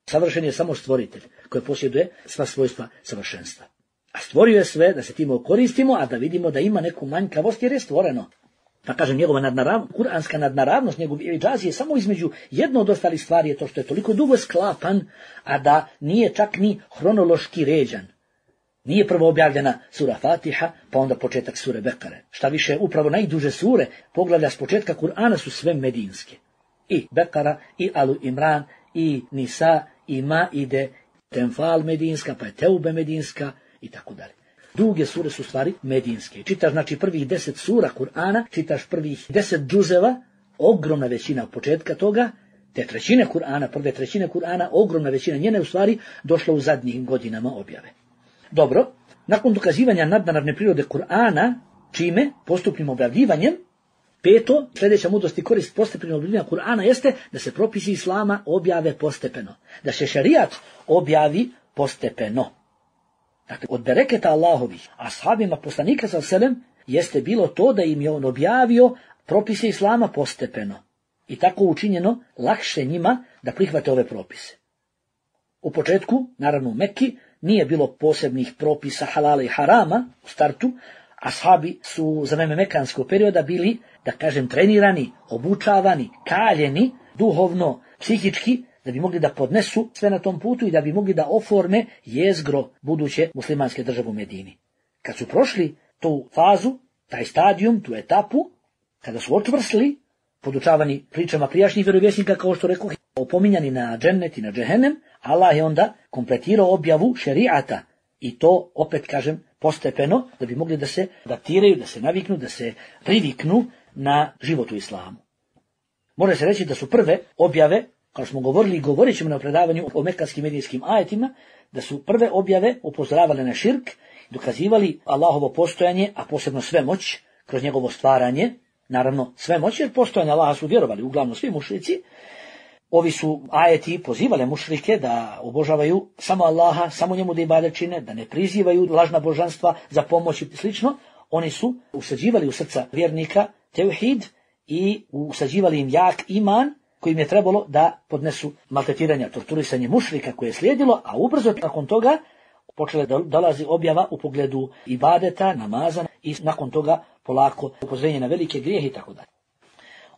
Savršen je samo stvoritelj koji posjeduje sva svojstva savršenstva. A stvorio je sve da se time koristimo, a da vidimo da ima neku manjkavost jer je stvoreno. Pa kažem, njegova nadnaravnost, kuranska nadnaravnost, njegov idžaz je samo između jedno od ostalih stvari je to što je toliko dugo sklapan, a da nije čak ni hronološki ređan. Nije prvo objavljena sura Fatiha, pa onda početak sure Bekare. Šta više, upravo najduže sure, poglavlja s početka Kur'ana su sve medinske. I Bekara, i Alu Imran, i Nisa, i Maide, Tenfal medinska, pa je Teube medinska, i tako dalje. Druge sure su stvari medinske. Čitaš, znači, prvih deset sura Kur'ana, čitaš prvih deset džuzeva, ogromna većina od početka toga, te trećine Kur'ana, prve trećine Kur'ana, ogromna većina njene u stvari došla u zadnjim godinama objave. Dobro, nakon dokazivanja nadnaravne prirode Kur'ana, čime? Postupnim objavljivanjem, peto, sljedeća mudrost i korist postepenog objavljivanja Kur'ana jeste da se propisi Islama objave postepeno. Da se šerijat objavi postepeno. Dakle, od bereketa Allahovih, ashabima poslanika sallallahu alejhi ve sellem jeste bilo to da im je on objavio propise Islama postepeno. I tako učinjeno lakše njima da prihvate ove propise. U početku, naravno u Mekki, nije bilo posebnih propisa halala i harama u startu, ashabi su za vreme mekanskog perioda bili, da kažem, trenirani, obučavani, kaljeni, duhovno, psihički, da bi mogli da podnesu sve na tom putu i da bi mogli da oforme jezgro buduće muslimanske države u Medini. Kad su prošli tu fazu, taj stadijum, tu etapu, kada su očvrsli, podučavani pričama prijašnjih vjerovjesnika, kao što rekao, opominjani na džennet i na džehennem, Allah je onda kompletirao objavu šerijata i to, opet kažem, postepeno, da bi mogli da se adaptiraju, da se naviknu, da se priviknu na život u islamu. Može se reći da su prve objave, kao smo govorili i govorit ćemo na predavanju o mekanskim medijskim ajetima, da su prve objave upozoravale na širk, dokazivali Allahovo postojanje, a posebno svemoć, kroz njegovo stvaranje, naravno svemoć, jer postojanje Allaha su vjerovali, uglavnom svi mušrici. Ovi su ajeti pozivale mušrike da obožavaju samo Allaha, samo njemu da ibadet čine, da ne prizivaju lažna božanstva za pomoć i slično. Oni su usađivali u srca vjernika tevhid i usađivali im jak iman kojim je trebalo da podnesu maltretiranja, torturisanje mušrika koje je slijedilo, a ubrzo nakon toga počela da dolazi objava u pogledu ibadeta, namaza i nakon toga polako upozorenje na velike grijehe i tako dalje.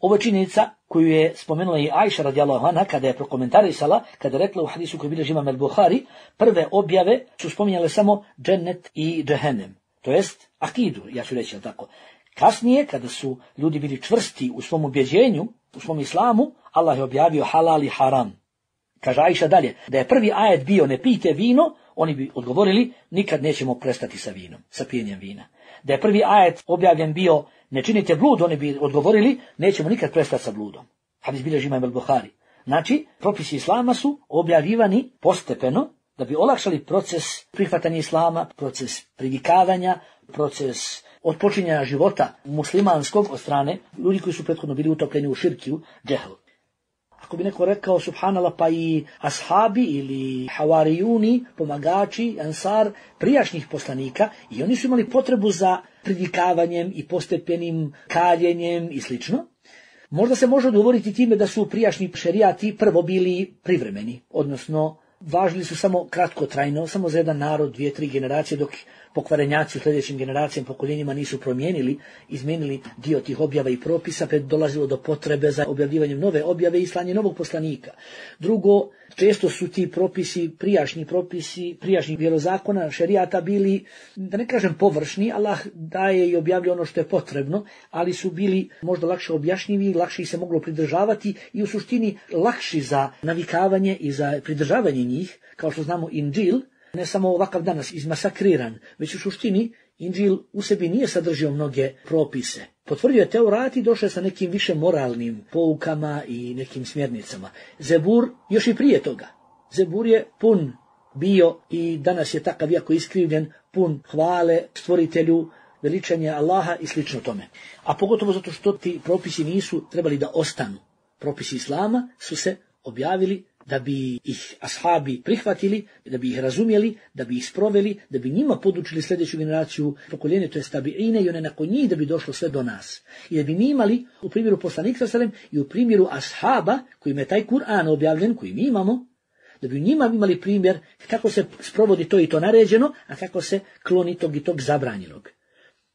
Ovo je činjenica koju je spomenula i Ajša radijallahu anha kada je prokomentarisala, kada je rekla u hadisu koji bilježi imam el-Buhari, prve objave su spominjale samo džennet i džehennem, to jest akidu, ja ću reći, tako. Kasnije, kada su ljudi bili čvrsti u svom ubjeđenju, u svom islamu, Allah je objavio halal i haram. Kaže Ajša dalje, da je prvi ajet bio ne pijte vino, oni bi odgovorili nikad nećemo prestati sa vinom, sa pijenjem vina. Da je prvi ajet objavljen bio ne činite blud, oni bi odgovorili nećemo nikad prestati sa bludom. Hadis bilježi imam el-Buhari. Znači, propisi islama su objavljivani postepeno da bi olakšali proces prihvatanja islama, proces privikavanja, proces otpočinjanja života muslimanskog od strane ljudi koji su prethodno bili utopljeni u širkiju, džehl. Ako bi neko rekao subhanallah, pa i ashabi ili havarijuni, pomagači, ansar prijašnjih poslanika, i oni su imali potrebu za pridikavanjem i postepenim kaljenjem i slično. Možda se može odgovoriti time da su prijašnji šerijati prvo bili privremeni, odnosno važili su samo kratkotrajno, samo za jedan narod, dvije, tri generacije, dok pokvarenjaci u sljedećim generacijama, pokoljenjima nisu promijenili, izmijenili dio tih objava i propisa, pa je dolazilo do potrebe za objavljivanjem nove objave i slanje novog poslanika. Drugo, često su ti propisi, prijašnji propisi, prijašnjih vjerozakona, šerijata bili, da ne kažem površni, Allah daje i objavlja ono što je potrebno, ali su bili možda lakše objašnjivi, lakše ih se moglo pridržavati i u suštini lakši za navikavanje i za pridržavanje njih, kao što znamo Inđil, ne samo ovakav danas izmasakriran, već u suštini Inđil u sebi nije sadržio mnoge propise. Potvrdio je Teurat i došao je sa nekim više moralnim poukama i nekim smjernicama. Zebur još i prije toga. Zebur je pun bio i danas je takav jako iskrivljen, pun hvale stvoritelju, veličanja Allaha i slično tome. A pogotovo zato što ti propisi nisu trebali da ostanu. Propisi Islama su se objavili da bi ih ashabi prihvatili, da bi ih razumjeli, da bi ih sproveli, da bi njima podučili sljedeću generaciju pokoljenja, to je tabiine, i one nakon njih, da bi došlo sve do nas. I da bi mi imali u primjeru poslanika sallam i u primjeru ashaba, kojima je taj Kur'an objavljen, koji mi imamo, da bi u njima imali primjer kako se sprovodi to i to naređeno, a kako se kloni tog i tog zabranjenog.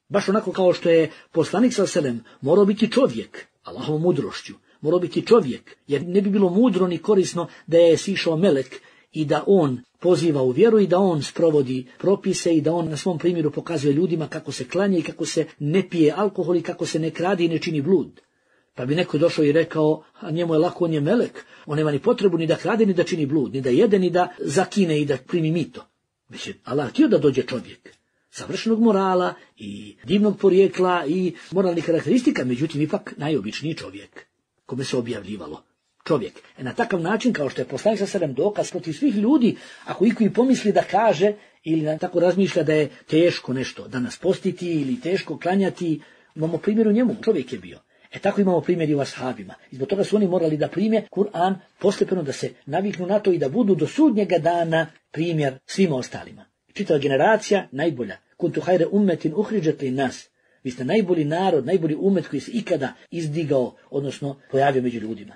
Baš onako kao što je poslanik sallam morao biti čovjek, Allahovom mudrošću, morao biti čovjek, jer ne bi bilo mudro ni korisno da je sišao melek i da on poziva u vjeru i da on sprovodi propise i da on na svom primjeru pokazuje ljudima kako se klanja i kako se ne pije alkohol i kako se ne kradi i ne čini blud. Pa bi neko došao i rekao, a njemu je lako, on je melek, on nema ni potrebu ni da krade, ni da čini blud, ni da jede, ni da zakine i da primi mito. Već je Allah htio da dođe čovjek savršenog morala i divnog porijekla i moralnih karakteristika, međutim ipak najobičniji čovjek kome se objavljivalo. Čovjek. E na takav način, kao što je poslanik sallallahu alejhi ve sellem dokaz protiv svih ljudi, ako iko i pomisli da kaže ili na tako razmišlja da je teško nešto danas postiti ili teško klanjati, imamo primjer u njemu, čovjek je bio. E tako imamo primjer i u ashabima. I zbog toga su oni morali da prime Kur'an postepeno, da se naviknu na to i da budu do sudnjega dana primjer svima ostalima. Čitava generacija najbolja. Kuntu hajre ummetin uhriđet li nas. Vi ste najbolji narod, najbolji umet koji se ikada izdigao, odnosno pojavio među ljudima.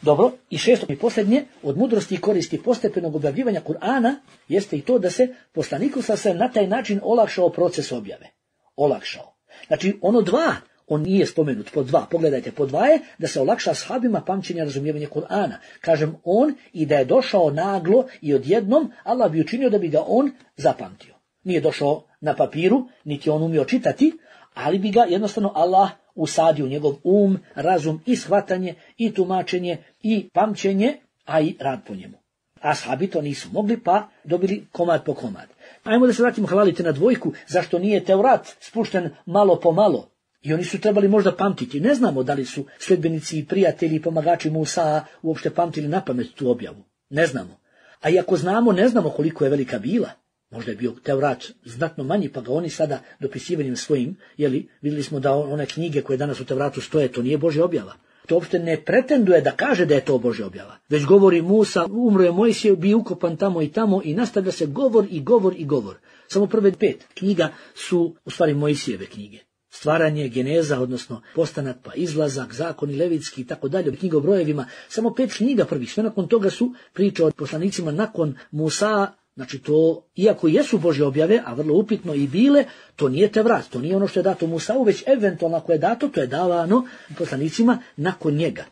Dobro, i šesto i posljednje, od mudrosti i koristi postepenog objavljivanja Kur'ana jeste i to da se poslaniku sa na taj način olakšao proces objave. Olakšao. Znači, ono dva, on nije spomenut, po dva, pogledajte, po dva je da se olakša ashabima pamćenja, razumijevanja Kur'ana. Kažem on, i da je došao naglo i odjednom, Allah bi učinio da bi ga on zapamtio. Nije došao na papiru, niti on umio čitati, ali bi ga jednostavno Allah usadio u njegov um, razum i shvatanje i tumačenje i pamćenje, a i rad po njemu. Ashabi to nisu mogli, pa dobili komad po komad. Ajmo da se vratimo, hvalite na dvojku, zašto nije Teurat spušten malo po malo. I oni su trebali možda pamtiti. Ne znamo da li su sljedbenici i prijatelji i pomagači Musa uopšte pamtili na pamet tu objavu. Ne znamo. A i ako znamo, ne znamo koliko je velika bila. Možda je bio Teurat znatno manji, pa ga oni sada dopisivanjem svojim, jeli, vidjeli smo da one knjige koje danas u Tevratu stoje, to nije Božja objava. To uopšte ne pretenduje da kaže da je to Božja objava. Već govori Musa, umro je Mojsije, bio ukopan tamo i tamo i nastavlja se govor i govor i govor. Samo prve pet knjiga su u stvari Mojsijeve knjige. Stvaranje, geneza, odnosno postanak, pa izlazak, zakoni, levitski i tako dalje, knjiga o brojevima. Samo pet knjiga prvih, sve nakon toga su priče o poslanicima nakon Musa. Znači to, iako jesu Božje objave, a vrlo upitno i bile, to nije Tevrat, to nije ono što je dato Musau, već eventualno ako je dato, to je davano poslanicima nakon njega.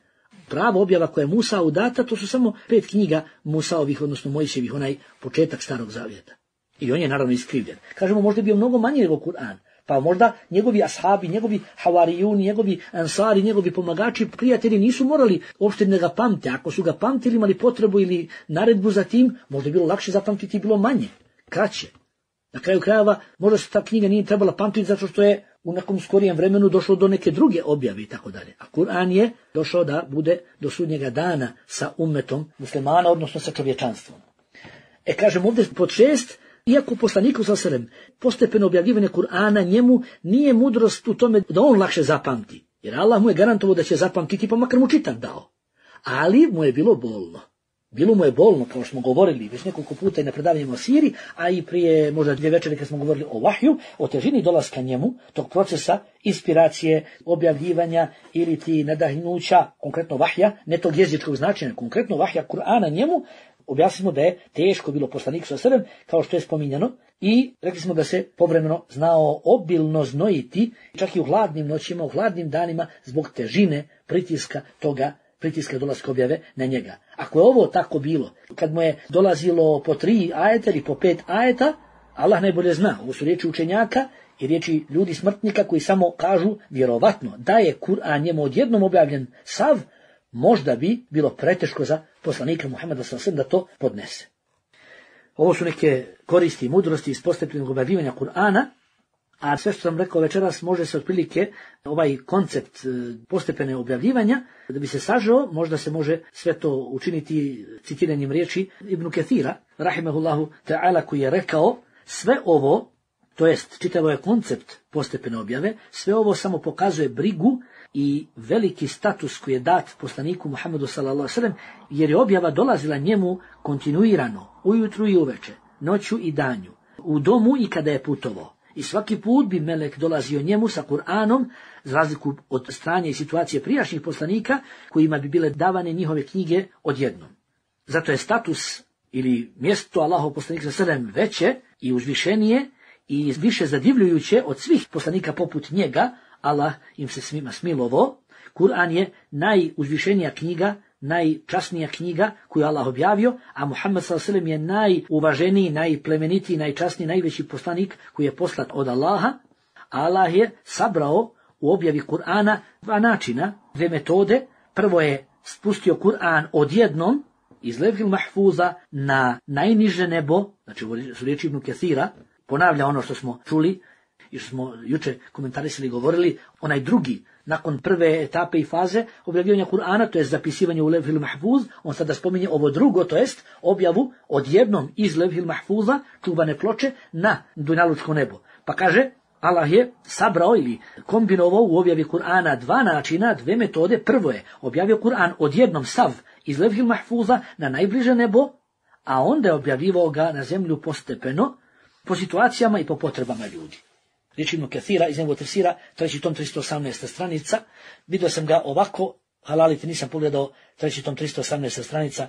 Prava objava koja je Musau data, to su samo pet knjiga Musaovih, odnosno Mojsijevih, onaj početak Starog Zavjeta. I on je naravno iskrivljen. Kažemo, možda je bio mnogo manji nego Kur'an. Pa možda njegovi ashabi, njegovi havarijuni, njegovi ansari, njegovi pomagači, prijatelji nisu morali uopšte da ga pamte. Ako su ga pamtili, imali potrebu ili naredbu za tim, možda je bilo lakše zapamtiti i bilo manje, kraće. Na kraju krajeva, možda se ta knjiga nije trebala pamtiti zato što je u nekom skorijem vremenu došlo do neke druge objave i tako dalje. A Kur'an je došao da bude do sudnjega dana sa ummetom muslimana, odnosno sa čovječanstvom. E kažem ovdje pod šest, iako poslaniku sallallahu alejhi ve sellem postepeno objavljivanje Kur'ana njemu nije mudrost u tome da on lakše zapamti. Jer Allah mu je garantovao da će zapamtiti, pa makar mu čitak dao. ali mu je bilo bolno. Bilo mu je bolno, kao što smo govorili već nekoliko puta i na predavanjima o siri, a i prije možda dvije večeri kad smo govorili o vahju, o težini dolaska njemu, tog procesa inspiracije, objavljivanja ili ti nadahnuća, konkretno vahja, ne tog jezičkog značenja, konkretno vahja Kur'ana njemu, objasnimo da je teško bilo poslaniku sallallahu alejhi ve sellem, kao što je spominjano, i rekli smo da se povremeno znao obilno znojiti, čak i u hladnim noćima, u hladnim danima, zbog težine pritiska toga, pritiska dolaska objave na njega. Ako je ovo tako bilo, kad mu je dolazilo po tri ajeta ili po pet ajeta, Allah najbolje zna, ovo su riječi učenjaka i riječi ljudi smrtnika koji samo kažu vjerovatno da je Kur'an njemu odjednom objavljen sav, možda bi bilo preteško za poslanika Muhameda sallallahu alejhi ve sellem da to podnese. Ovo su neke koristi i mudrosti iz postepenog objavljivanja Kur'ana, a sve što sam rekao večeras može se otprilike ovaj koncept postepene objavljivanja, da bi se sažao, možda se može sve to učiniti citiranjem riječi Ibn Kathira, rahimahullahu ta'ala, koji je rekao sve ovo, to jest čitavo je koncept postepene objave, sve ovo samo pokazuje brigu i veliki status koji je dat poslaniku Muhammedu sallallahu alejhi ve sellem, jer je objava dolazila njemu kontinuirano, ujutru i uveče, noću i danju, u domu i kada je putovao. I svaki put bi melek dolazio njemu sa Kur'anom, za razliku od stranje i situacije prijašnjih poslanika, kojima bi bile davane njihove knjige odjednom. Zato je status ili mjesto Allahov poslanika sallallahu alejhi ve sellem veće i uzvišenije i više zadivljujuće od svih poslanika poput njega. Allah im se svima smilovao. Kur'an je najuzvišenija knjiga, najčasnija knjiga koju Allah objavio, a Muhammed sallallahu alejhi ve sellem je najuvaženiji, najplemenitiji, najčasniji, najveći poslanik koji je poslat od Allaha. Allah je sabrao u objavi Kur'ana dva načina, dve metode. Prvo je spustio Kur'an odjednom iz Levhil Mahfuza na najniže nebo, znači su riječi Ibn Kathira, ponavlja ono što smo čuli i što smo juče komentarisali i govorili, onaj drugi, nakon prve etape i faze objavljivanja Kur'ana, to je zapisivanje u Levhil Mahfuz, on sada spominje ovo drugo, to jest objavu odjednom iz Levhil Mahfuza, čuvane ploče, na dunjalučko nebo. Pa kaže, Allah je sabrao ili kombinovao u objavi Kur'ana dva načina, dve metode. Prvo je objavio Kur'an odjednom sav iz Levhil Mahfuza na najbliže nebo, a onda je objavivao ga na zemlju postepeno, po situacijama i po potrebama ljudi. Riječ Ibn Kathira iz njegovog tefsira, treći tom tristo osamnaesta stranica, vidio sam ga ovako, halalite, nisam pogledao treći tom tristo osamnaesta stranica.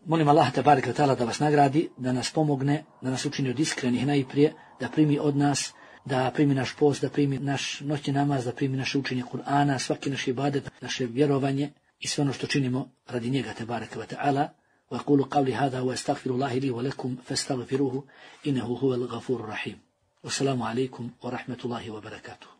Molim Allaha tebareke ve taala da vas nagradi, da nas pomogne, da nas učini od iskrenih najprije, da primi od nas, da primi naš post, da primi naš noćni namaz, da primi naše učenje Kur'ana, svaki naš ibadet, naše vjerovanje i sve ono što činimo radi njega tebareke ve taala. وأقول قولي هذا وأستغفر الله لي ولكم فاستغفروه إنه هو الغفور الرحيم. والسلام عليكم ورحمة الله وبركاته.